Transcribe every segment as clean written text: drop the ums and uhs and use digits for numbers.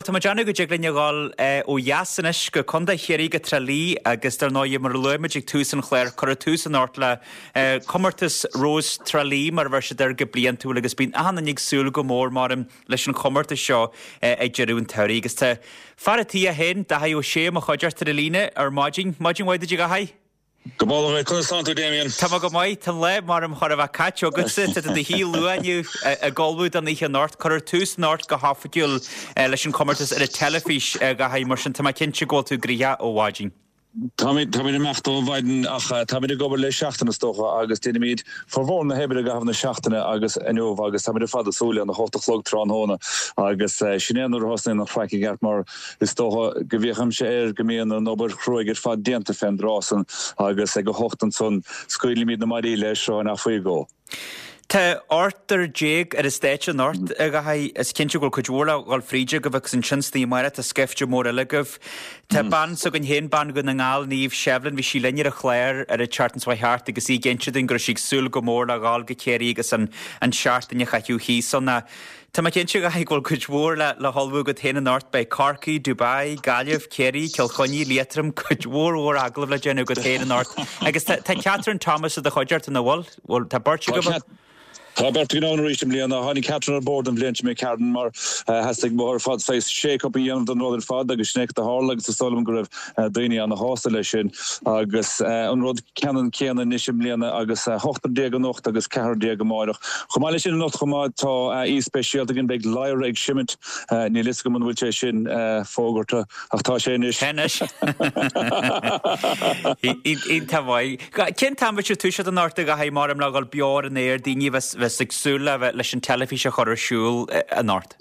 tá mé ag déanamh go dtig linn a dhul ó dheas anois go Contae Chiarraí, go Trá Lí agus dar ndóigh mar a luaigh muid ag tús an chláir, cuireadh tús anocht le comórtas Rós Trá Lí mar a bheir siad air go bliantúil agus bíonn achan duine ag súil go mór maram leis an chomórtas seo ag deireadh an tsamhraidh agus tá fear a' tí é féin, Daithí Ó Sé, i mo chuideachta ar an líne ar maidin. Maidin mhaith duit a Dhaithí. Go mall conas tánn tú Damien? Tá mé go maith, tá an lá maram chóir a bheith caite agatsa, tá tú i do shuí luath inniu ag ullmhú don oíche anocht. Cuirfear tús anocht go hoifigiúil leis an chomórtas ar an teilifís, a Dhaithí, mar sin tá mé cinnte go bhfuil tú gnoitheach ó mhaidin. Táimid, táimid amach ó mhaidin ach táimid ag obair le seachtain is dócha agus déanaimid formhór na hoibre i gcaitheamh na seachtaine agus inniu agus táimid ar fad ag súil lena hocht a chlog tráthnóna agus sin é nuair a thosnaíonn an chraic i gceart mar Is dócha go bhféachaimse air go mbíonn an obair chruaidh ar fad déanta fén dtráth san agus ag a hocht ansan scaoilimíd na maidí le srutháin ach faoi dhó. Tá ochtar déag ar an stáitse anocht, a Dhaithí. Is cinnte go bhfuil cuid mhór le dhul fríd agaibh agus ansin san oíche amárach tá scaifte mór eile agaibh. Tá bean s'againn féin, bean Dhún na nGall, Niamh Shevlin, bhí sí linn ar an chlár ar an tseachtain seo chuaigh thart agus í ag inse dúinn go raibh sí ag súil go mór le dhul go Ciarraí agus an seachtain a chaitheamh thíos ann. Tá mé cinnte, a Dhaithí, go bhfuil cuid mhór le hullmhú agat féin anocht. Beidh Corcaigh, Dubai, Gaillimh, Ciarraí, Cill Chainnigh, Liatroim, cuid mhór mhór agallamh le déanamh agat féin anocht. Agus tá Catherine Thomas i do chuideachta, nach bhfuil? Bhfuil, tá beirt agaibh? Tá beirt againn ann arís i mbliana. Tháinig Catherine ar bord an bhliain seo imigh tharainn mar theastaigh uathu ar fad saghas shake up a dhéanamh don rud ar fad agus sin é cad a tharla agus is dóigh liom go raibh daoine ana-shásta leis sin. Agus an rud ceannann céanna anois i mbliana agus ochtar déag anocht agus ceathrar déag amáireach. Chomh maith leis sin anocht chomh maith tá aoi speisialta againn, beidh Lyra ag seimint, níl fhios agam an bhfuil sé sin fógartha ach tá sé anois. Tá anois. Iontach maith. Cén t-am a bheidh sibh ag toiseacht anocht a Dhaithí maram le dhul beo ar an aer, daoine a bheas ag súil le bheith leis an teilifís a chur ar siúl anocht?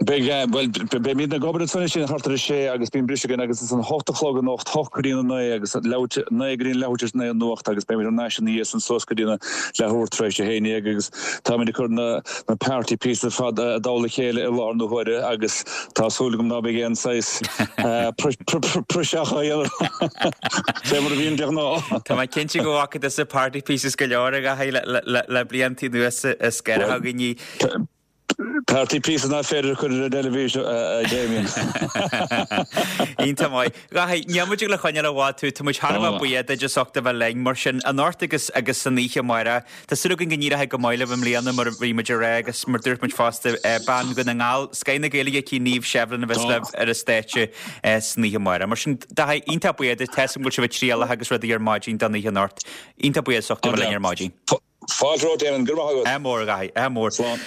Beidh, bhuel, beimid ag obair ansan sin thart ar a sé agus bíonn briseadh againn agus is an hocht a chlog anocht, hocht go dtí a naoi agus leathuair, naoi go dtí an leathuair tar éis a naoi an nuacht agus beimid thar n-ais ina dhiaidh san suas go dtí na leathuair tar éis a haon dhéag agus táimid ag cur na, na party pieces ar fad i dtoll a chéile i láthair na huaire agus tá súil agam ná beidh aon saghas praiseach á dhéanamh fé mar a bhíonn de ghnáth. Tá mé cinnte go bhfaca tusa party pieces go leor a Dhaithí le, le, le blianta anuas is gaire againn í. Party pieces nach féidir a chur ar an dteilifís, a Damien. Iontach maith. Dhaithí, níl muid ag le coinneáil i bhfad tú, tá muid thar a bheith buíoch duit as ucht a bheith linn. Mar sin, anocht agus agus san oíche amárach, tá súil againn go n-éireoidh go maith libh i mbliana mar a bhí muid ag rá agus mar dúirt muid fosta, bean Dhún na nGall, scoth na Gaeilge aici, Niamh Shevlin a bheas libh ar an stáitse san oíche amárach. Mar sin, Daithí, iontach buíoch duit, tá 'fhios agam go bhfuil sibh ag trialach agus rudaí ar maidin don oíche anocht. Iontach buíoch as ucht a bheith linn ar maidin. Fáilte romhat, Damien. Go raibh maith agat. Ádh mór, a Dhaithí. Ádh mór. Slán.